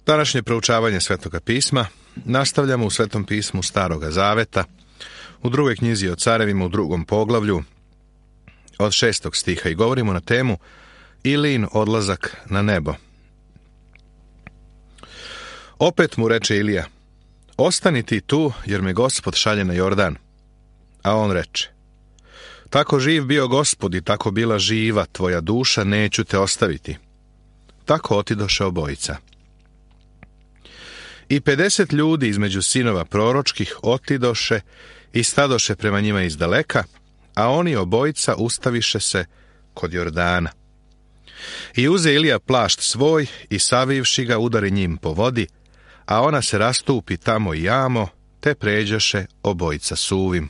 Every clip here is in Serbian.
Današnje proučavanje Svetoga pisma nastavljamo u Svetom pismu Staroga Zaveta, u drugoj knjizi o carevima u 2. poglavlju, od 6. stiha, i govorimo na temu Ilijin odlazak na nebo. Opet mu reče Ilija: ostani ti tu, jer me Gospod šalje na Jordan. A on reče: tako živ bio Gospod i tako bila živa tvoja duša, neću te ostaviti. Tako otidoše obojica. I 50 ljudi između sinova proročkih otidoše i stadoše prema njima izdaleka, a oni obojica ustaviše se kod Jordana. I uze Ilija plašt svoj i savivši ga udari njim po vodi, a ona se rastupi tamo i jamo, te pređoše obojica suvim.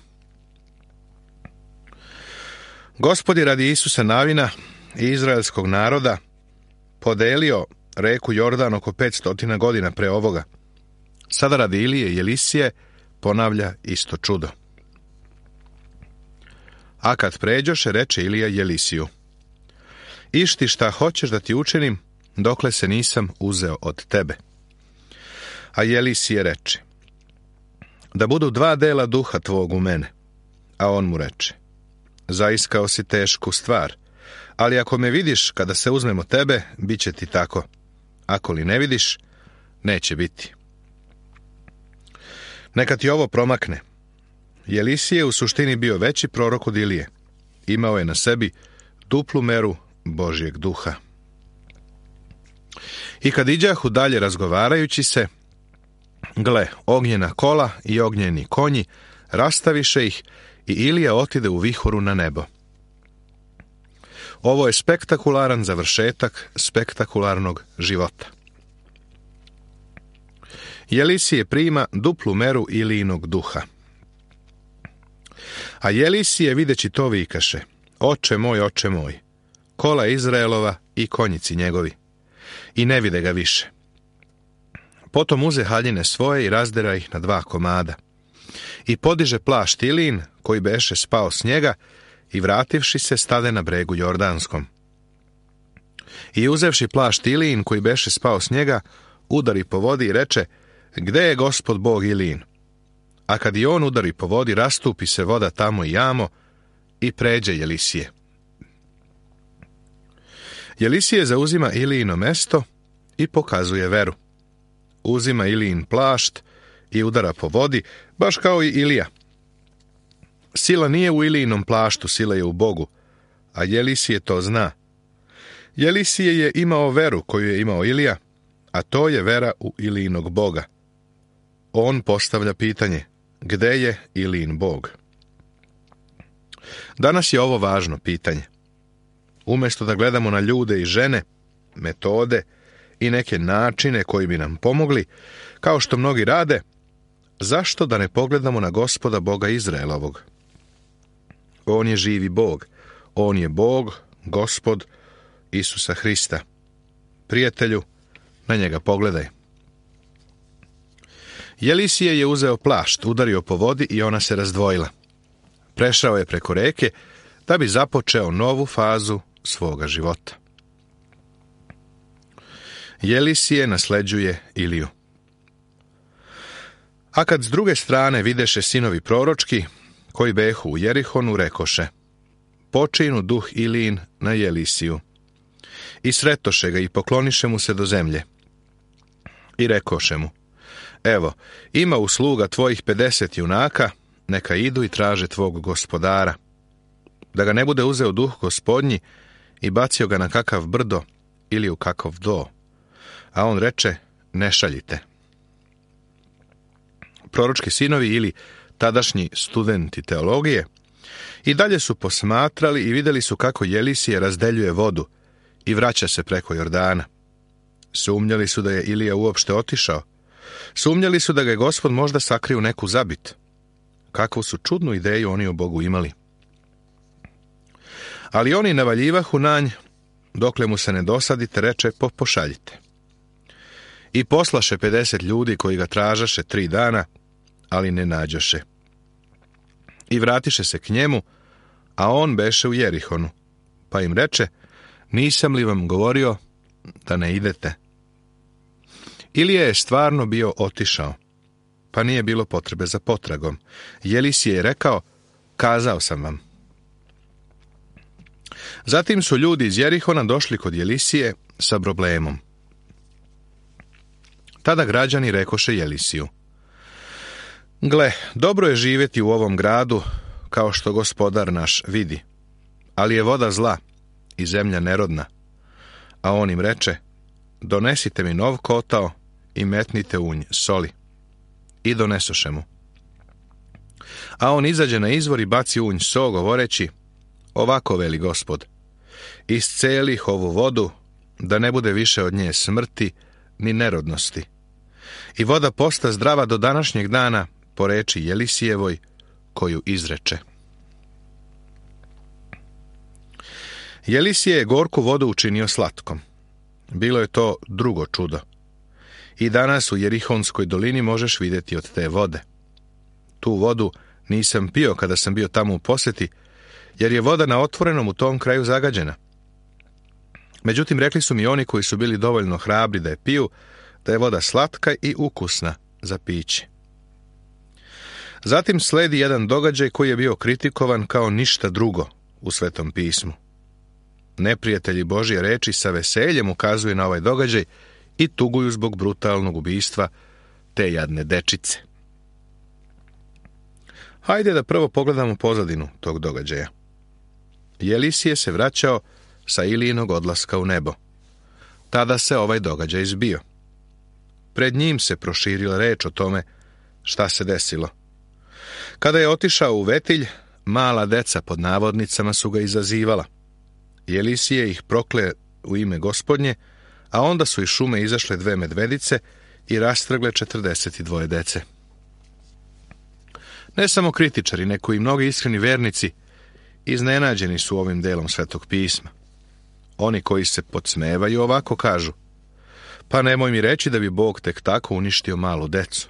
Gospod je radi Isusa Navina i izraelskog naroda podelio reku Jordan oko 500 godina pre ovoga. Sada radi Ilije i Elisije ponavlja isto čudo. A kad pređoše, reče Ilija Elisiju: išti šta hoćeš da ti učinim, dokle se nisam uzeo od tebe. A Elisije reče: da budu 2 dela duha tvog u mene. A on mu reče: zaiskao si tešku stvar, ali ako me vidiš kada se uzmemo tebe, bit će ti tako. Ako li ne vidiš, neće biti. Neka ti ovo promakne. Elisije je u suštini bio veći prorok od Ilije. Imao je na sebi duplu meru Božjeg duha. I kad iđahu dalje razgovarajući se, gle, ognjena kola i ognjeni konji rastaviše ih i Ilija otide u vihoru na nebo. Ovo je spektakularan završetak spektakularnog života. Elisije prima duplu meru Ilijinog duha. A Elisije videći to vikaše: oče moj, kola Izraelova i konjici njegovi. I ne vide ga više. Potom uze haljine svoje i razdera ih na 2 komada. I podiže plašt Ilijin, koji beše spao s njega, i vrativši se stade na bregu Jordanskom. I uzevši plašt Ilijin, koji beše spao s njega, udari po vodi i reče: gde je Gospod Bog Ilijin? A kad i on udari po vodi, rastupi se voda tamo i jamo, i pređe Elisije. Elisije zauzima Ilijino mesto i pokazuje veru. Uzima Ilijin plašt i udara po vodi, baš kao i Ilija. Sila nije u Ilijinom plaštu, sila je u Bogu, a Elisije to zna. Elisije je imao veru koju je imao Ilija, a to je vera u Ilijinog Boga. On postavlja pitanje: gde je Ilijin Bog? Danas je ovo važno pitanje. Umjesto da gledamo na ljude i žene, metode i neke načine koji bi nam pomogli, kao što mnogi rade, zašto da ne pogledamo na Gospoda Boga Izraelovog? On je živi Bog. On je Bog, Gospod Isusa Hrista. Prijatelju, na njega pogledaj. Elisije je uzeo plašt, udario po vodi i ona se razdvojila. Prešao je preko reke da bi započeo novu fazu svoga života. Elisije nasleđuje Iliju. A kad s druge strane videše sinovi proročki, koji behu u Jerihonu, rekoše: počinu duh Ilijin na Elisiju. I sretoše ga i pokloniše mu se do zemlje. I rekoše mu: evo, ima u sluga tvojih 50 junaka, neka idu i traže tvog gospodara, da ga ne bude uzeo duh gospodnji i bacio ga na kakav brdo ili u kakav do. A on reče: ne šaljite. Proročki sinovi ili tadašnji studenti teologije i dalje su posmatrali i vidjeli su kako Elisije razdeljuje vodu i vraća se preko Jordana. Sumnjali su da je Ilija uopšte otišao. Sumnjali su da ga je Gospod možda sakrio u neku zabit. Kakvu su čudnu ideju oni o Bogu imali. Ali oni navaljivahu na nj, dokle mu se ne dosadite, reče: pošaljite. I poslaše 50 ljudi koji ga tražaše 3 dana, ali ne nađoše. I vratiše se k njemu, a on beše u Jerihonu, pa im reče: nisam li vam govorio da ne idete? Ilija je stvarno bio otišao, pa nije bilo potrebe za potragom. Jelisije je rekao, kazao sam vam. Zatim su ljudi iz Jerihona došli kod Jelisije sa problemom. Tada građani rekoše Jelisiju, gle, dobro je živjeti u ovom gradu, kao što gospodar naš vidi, ali je voda zla i zemlja nerodna. A on im reče, donesite mi nov kotao i metnite u nj soli. I donesoše mu. A on izađe na izvor i baci u nj so, govoreći, ovako veli Gospod, iscelih ovu vodu, da ne bude više od nje smrti ni nerodnosti. I voda posta zdrava do današnjeg dana, po reči Jelisijevoj, koju izreče. Jelisije je gorku vodu učinio slatkom. Bilo je to drugo čudo. I danas u Jerihonskoj dolini možeš vidjeti od te vode. Tu vodu nisam pio kada sam bio tamo u posjeti, jer je voda na otvorenom u tom kraju zagađena. Međutim, rekli su mi oni koji su bili dovoljno hrabri da je piju, da je voda slatka i ukusna za piće. Zatim sledi jedan događaj koji je bio kritikovan kao ništa drugo u Svetom pismu. Neprijatelji Božje reči sa veseljem ukazuju na ovaj događaj i tuguju zbog brutalnog ubistva te jadne dečice. Hajde da prvo pogledamo pozadinu tog događaja. Jelisije se vraćao sa Ilijinog odlaska u nebo. Tada se ovaj događaj zbio. Pred njim se proširila reč o tome šta se desilo. Kada je otišao u Vetilj, mala deca pod navodnicama su ga izazivala. Jelisije ih prokle u ime Gospodnje, a onda su iz šume izašle 2 medvedice i rastrgle 42 dece. Ne samo kritičari, nego i mnogi iskreni vernici iznenađeni su ovim delom Svetog pisma. Oni koji se podsmevaju ovako kažu, pa nemoj mi reći da bi Bog tek tako uništio malu decu.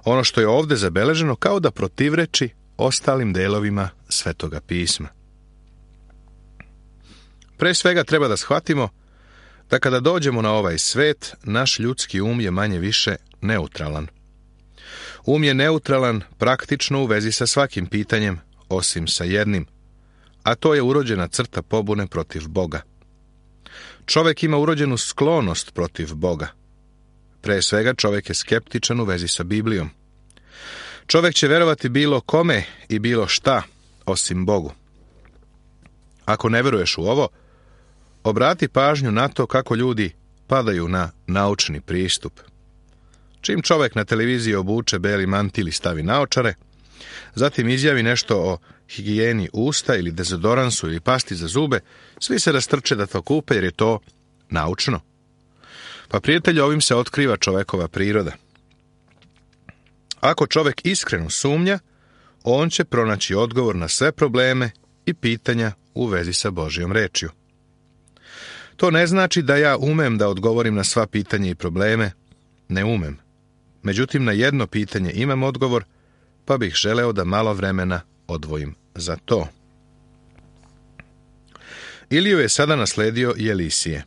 Ono što je ovdje zabeleženo kao da protivreči ostalim delovima Svetoga pisma. Pre svega treba da shvatimo da kada dođemo na ovaj svet, naš ljudski um je manje više neutralan. Um je neutralan praktično u vezi sa svakim pitanjem, osim sa jednim, a to je urođena crta pobune protiv Boga. Čovjek ima urođenu sklonost protiv Boga. Pre svega čovjek je skeptičan u vezi sa Biblijom. Čovjek će verovati bilo kome i bilo šta, osim Bogu. Ako ne veruješ u ovo, obrati pažnju na to kako ljudi padaju na naučni pristup. Čim čovjek na televiziji obuče beli mantil i stavi naočare, zatim izjavi nešto o higijeni usta ili dezodoransu ili pasti za zube, svi se rastrče da to kupe jer je to naučno. Pa prijatelji, ovim se otkriva čovjekova priroda. Ako čovjek iskreno sumnja, on će pronaći odgovor na sve probleme i pitanja u vezi sa Božjom rečju. To ne znači da ja umem da odgovorim na sva pitanja i probleme, ne umem. Međutim, na jedno pitanje imam odgovor, pa bih želeo da malo vremena odvojim za to. Iliju je sada nasledio Jelisije.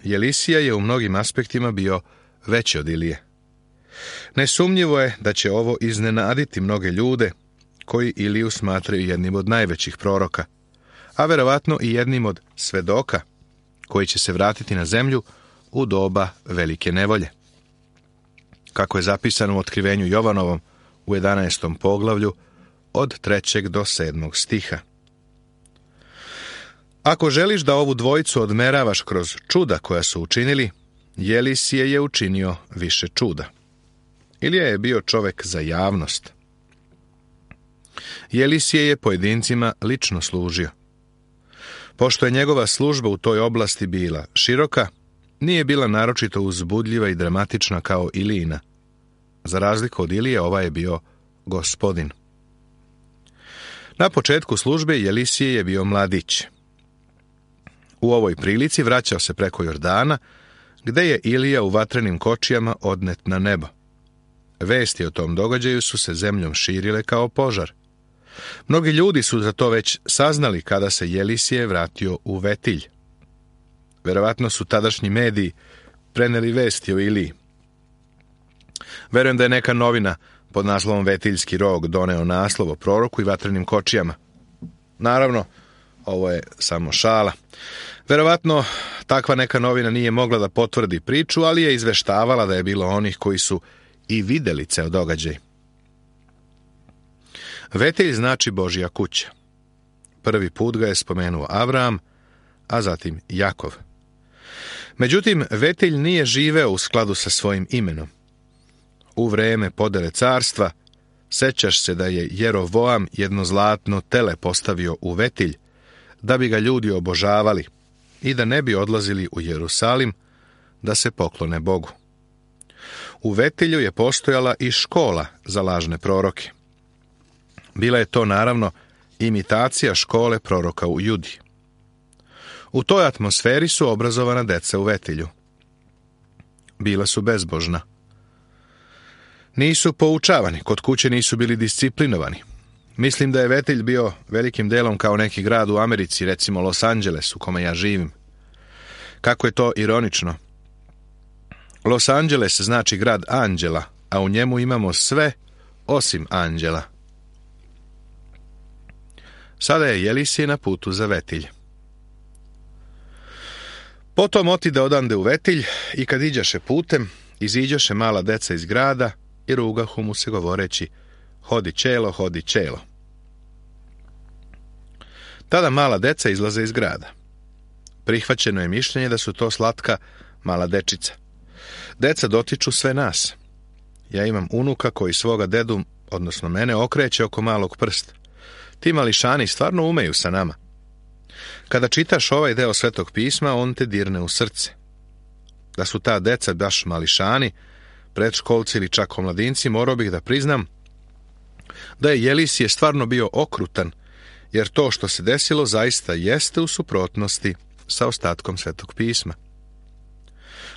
Jelisija je u mnogim aspektima bio veći od Ilije. Nesumnjivo je da će ovo iznenaditi mnoge ljude koji Iliju smatraju jednim od najvećih proroka, a verovatno i jednim od svedoka koji će se vratiti na zemlju u doba velike nevolje. Kako je zapisano u otkrivenju Jovanovom u 11. poglavlju od 3. do 7. stiha. Ako želiš da ovu dvojicu odmeravaš kroz čuda koja su učinili, Jelisije je učinio više čuda. Ilija je bio čovjek za javnost. Jelisije je pojedincima lično služio. Pošto je njegova služba u toj oblasti bila široka, nije bila naročito uzbudljiva i dramatična kao Ilijina. Za razliku od Ilije, ova je bio gospodin. Na početku službe Jelisije je bio mladić. U ovoj prilici vraćao se preko Jordana, gde je Ilija u vatrenim kočijama odnet na nebo. Vesti o tom događaju su se zemljom širile kao požar. Mnogi ljudi su za to već saznali kada se Jelisije vratio u Vetilj. Verovatno su tadašnji mediji preneli vesti o Iliji. Verujem da je neka novina pod naslovom Vetiljski rog doneo naslov o proroku i vatrenim kočijama. Naravno, ovo je samo šala. Verovatno, takva neka novina nije mogla da potvrdi priču, ali je izveštavala da je bilo onih koji su i videli ceo događaj. Vetilj znači Božja kuća. Prvi put ga je spomenuo Avram, a zatim Jakov. Međutim, Vetilj nije živeo u skladu sa svojim imenom. U vreme podele carstva, sećaš se da je Jerovoam jedno zlatno tele postavio u Vetilj, da bi ga ljudi obožavali i da ne bi odlazili u Jerusalim da se poklone Bogu. U Vetilju je postojala i škola za lažne proroke. Bila je to, naravno, imitacija škole proroka u Judi. U toj atmosferi su obrazovana deca u Vetilju. Bila su bezbožna. Nisu poučavani, kod kuće nisu bili disciplinovani. Mislim da je Vetilj bio velikim delom kao neki grad u Americi, recimo Los Angeles, u kome ja živim. Kako je to ironično. Los Angeles znači grad anđela, a u njemu imamo sve osim anđela. Sada je Jelisije na putu za Vetilj. Potom otide odande u Vetilj i kad iđaše putem, iziđaše mala deca iz grada i rugahu mu se govoreći: hodi čelo, hodi čelo. Tada mala deca izlaze iz grada. Prihvaćeno je mišljenje da su to slatka mala dečica. Deca dotiču sve nas. Ja imam unuka koji svoga dedu, odnosno mene, okreće oko malog prsta. Ti mališani stvarno umeju sa nama. Kada čitaš ovaj deo Svetog pisma, on te dirne u srce. Da su ta deca baš mališani, predškolci ili čak omladinci, morao bih da priznam da je Jelisije stvarno bio okrutan, jer to što se desilo zaista jeste u suprotnosti sa ostatkom Svetog pisma.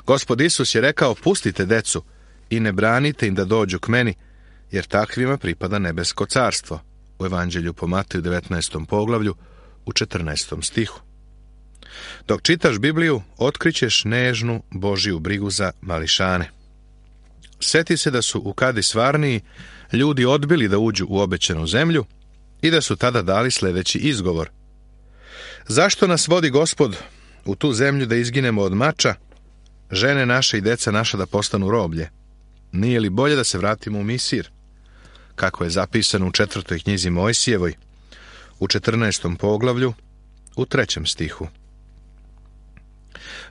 Gospod Isus je rekao: pustite decu i ne branite im da dođu k meni, jer takvima pripada nebesko carstvo. U Evanđelju po Mateju 19. poglavlju u 14. stihu. Dok čitaš Bibliju, otkrićeš nežnu Božju brigu za mališane. Sjeti se da su u Kadis Varniji ljudi odbili da uđu u obećanu zemlju i da su tada dali sljedeći izgovor: zašto nas vodi Gospod u tu zemlju da izginemo od mača, žene naše i deca naša da postanu roblje? Nije li bolje da se vratimo u Misir? Kako je zapisano u 4. knjizi Mojsijevoj, u 14. poglavlju, u 3. stihu.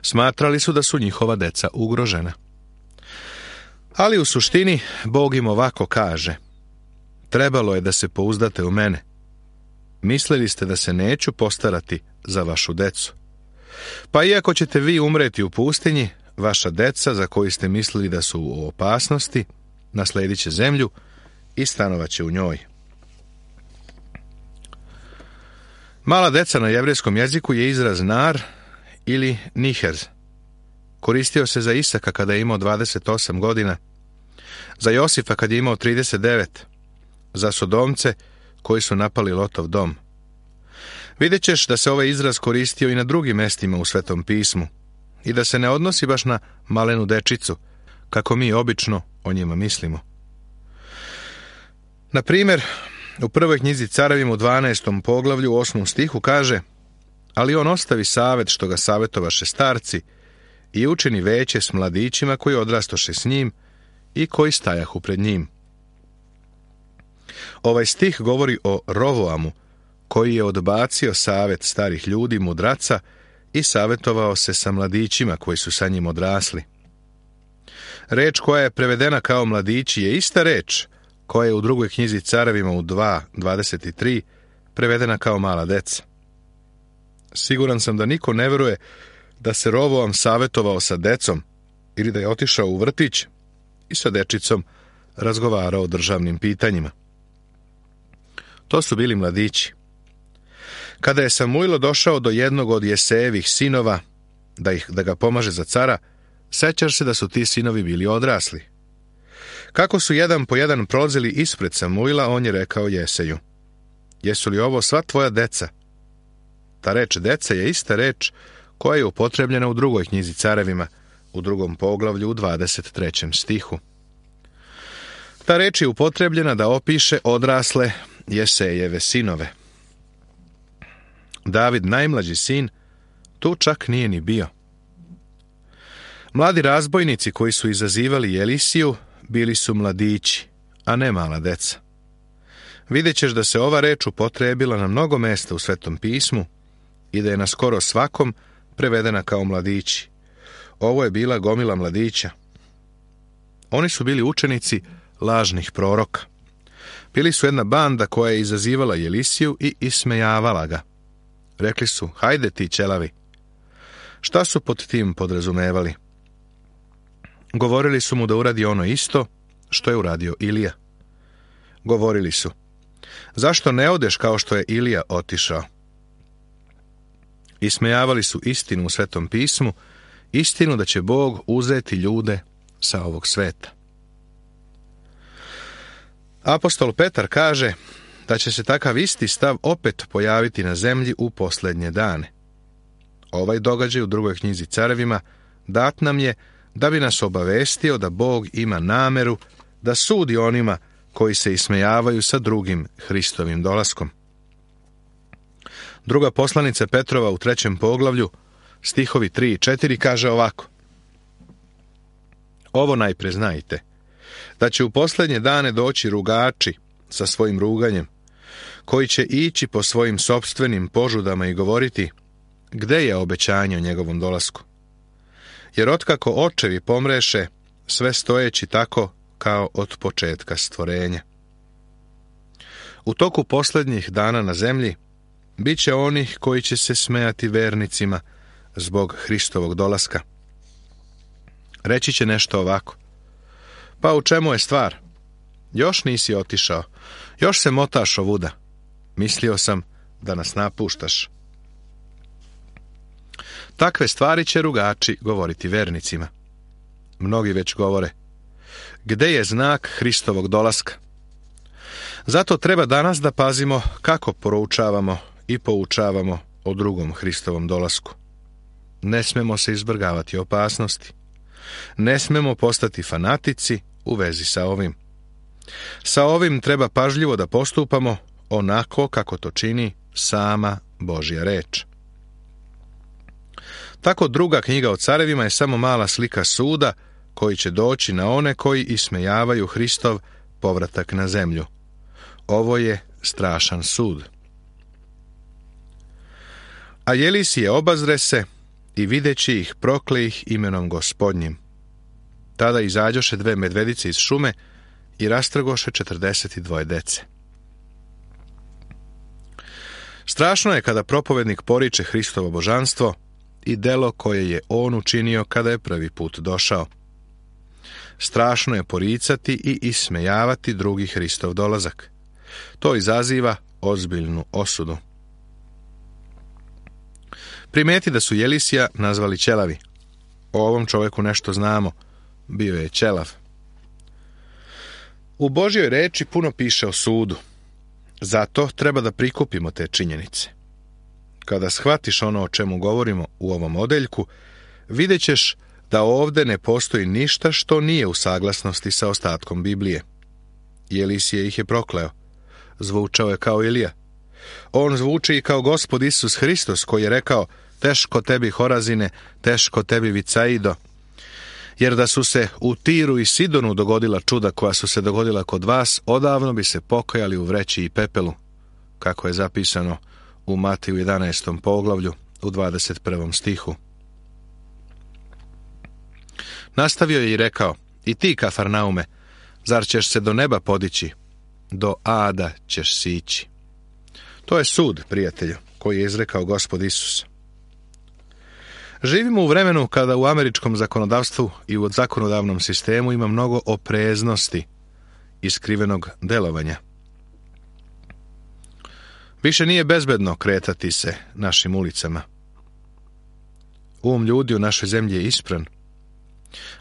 Smatrali su da su njihova deca ugrožena. Ali u suštini Bog im ovako kaže: trebalo je da se pouzdate u mene. Mislili ste da se neću postarati za vašu decu. Pa iako ćete vi umreti u pustinji, vaša deca, za koju ste mislili da su u opasnosti, nasledit će zemlju i stanovaće u njoj. Mala deca na jevrejskom jeziku je izraz nar ili niherz. Koristio se za Isaka kada je imao 28 godina, za Josifa kad je imao 39, za Sodomce koji su napali Lotov dom. Vidjet ćeš da se ovaj izraz koristio i na drugim mestima u Svetom pismu i da se ne odnosi baš na malenu dečicu, kako mi obično o njima mislimo. Na primjer, u prvoj knjizi Carevima u 12. poglavlju u 8. stihu kaže: ali on ostavi savet što ga savjetovaše starci i učini veće s mladićima koji odrastoše s njim i koji stajahu pred njim. Ovaj stih govori o Rovoamu, koji je odbacio savet starih ljudi, mudraca, i savjetovao se sa mladićima koji su sa njim odrasli. Reč koja je prevedena kao mladići je ista reč koja je u drugoj knjizi Carevima u 2:23 prevedena kao mala deca. Siguran sam da niko ne veruje da se Rovoam savjetovao sa decom ili da je otišao u vrtić i sa dečicom razgovarao o državnim pitanjima. To su bili mladići. Kada je Samuilo došao do jednog od Jesejevih sinova da ga pomaže za cara, sećaš se da su ti sinovi bili odrasli. Kako su jedan po jedan prolazili ispred Samuila, on je rekao Jeseju: jesu li ovo sva tvoja deca? Ta reč deca je ista reč koja je upotrebljena u drugoj knjizi Carevima, u 2. poglavlju u 23. stihu. Ta reč je upotrebljena da opiše odrasle Jesejeve sinove. David, najmlađi sin, tu čak nije ni bio. Mladi razbojnici koji su izazivali Jelisiju bili su mladići, a ne mala deca. Vidjet ćeš da se ova reč upotrebila na mnogo mesta u Svetom pismu i da je na skoro svakom prevedena kao mladići. Ovo je bila gomila mladića. Oni su bili učenici lažnih proroka. Bili su jedna banda koja je izazivala Jelisiju i ismejavala ga. Rekli su, hajde ti ćelavi. Šta su pod tim podrazumevali? Govorili su mu da uradi ono isto što je uradio Ilija. Govorili su, zašto ne odeš kao što je Ilija otišao? Ismejavali su istinu u Svetom pismu, istinu da će Bog uzeti ljude sa ovog sveta. Apostol Petar kaže da će se takav isti stav opet pojaviti na zemlji u posljednje dane. Ovaj događaj u 2. knjizi Carevima dat nam je da bi nas obavestio da Bog ima nameru da sudi onima koji se ismejavaju sa drugim Hristovim dolaskom. Druga poslanica Petrova u 3. poglavlju, stihovi 3 i 4 kaže ovako. Ovo najpre znajte, da će u posljednje dane doći rugači sa svojim ruganjem, koji će ići po svojim sopstvenim požudama i govoriti, gde je obećanje o njegovom dolasku? Jer otkako očevi pomreše, sve stojeći tako kao od početka stvorenja. U toku posljednjih dana na zemlji bit će onih koji će se smejati vernicima zbog Hristovog dolaska. Reći će nešto ovako. Pa u čemu je stvar? Još nisi otišao, još se motaš ovuda. Mislio sam da nas napuštaš. Takve stvari će rugači govoriti vernicima. Mnogi već govore, gde je znak Hristovog dolaska? Zato treba danas da pazimo kako poroučavamo i poučavamo o drugom Hristovom dolasku. Ne smemo se izvrgavati opasnosti. Ne smemo postati fanatici u vezi sa ovim. Sa ovim treba pažljivo da postupamo onako kako to čini sama Božja reč. Tako 2. knjiga o Carevima je samo mala slika suda koji će doći na one koji ismejavaju Hristov povratak na zemlju. Ovo je strašan sud. A Jelisije obazre se i videći ih prokle ih imenom Gospodnjim. Tada izađoše 2 medvedice iz šume i rastrgoše 42 dece. Strašno je kada propovednik poriče Hristovo božanstvo i delo koje je on učinio kada je prvi put došao. Strašno je poricati i ismejavati drugi Hristov dolazak. To izaziva ozbiljnu osudu. Primeti da su Jelisija nazvali ćelavi. O ovom čovjeku nešto znamo. Bio je ćelav. U Božjoj reči puno piše o sudu. Zato treba da prikupimo te činjenice. Kada shvatiš ono o čemu govorimo u ovom odeljku, vidjet ćeš da ovdje ne postoji ništa što nije u saglasnosti sa ostatkom Biblije. Jelisije ih je prokleo. Zvučao je kao Ilija. On zvuči i kao Gospod Isus Hristos koji je rekao, teško tebi Horazine, teško tebi Vicaido. Jer da su se u Tiru i Sidonu dogodila čuda koja su se dogodila kod vas, odavno bi se pokajali u vreći i pepelu, kako je zapisano u Matiju 11. poglavlju u 21. stihu. Nastavio je i rekao, i ti, Kafarnaume, zar ćeš se do neba podići? Do ada ćeš sići. To je sud, prijatelju, koji je izrekao Gospod Isus. Živimo u vremenu kada u američkom zakonodavstvu i u zakonodavnom sistemu ima mnogo opreznosti i skrivenog delovanja. Više nije bezbedno kretati se našim ulicama. Ljudi u našoj zemlji je ispran.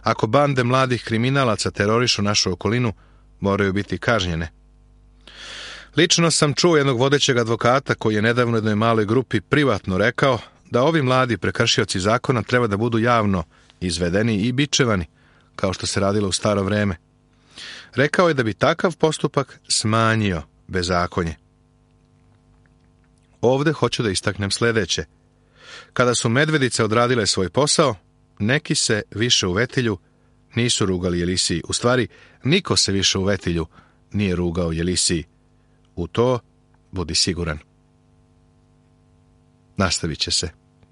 Ako bande mladih kriminalaca terorišu našu okolinu, moraju biti kažnjene. Lično sam čuo jednog vodećeg advokata koji je nedavno jednoj maloj grupi privatno rekao da ovi mladi prekršioci zakona treba da budu javno izvedeni i bičevani, kao što se radilo u staro vreme. Rekao je da bi takav postupak smanjio bezakonje. Ovde hoću da istaknem sledeće. Kada su medvedice odradile svoj posao, neki se više u Vetilju nisu rugali Jelisiji. U stvari, niko se više u Vetilju nije rugao Jelisiji. U to budi siguran. Nastavit će se.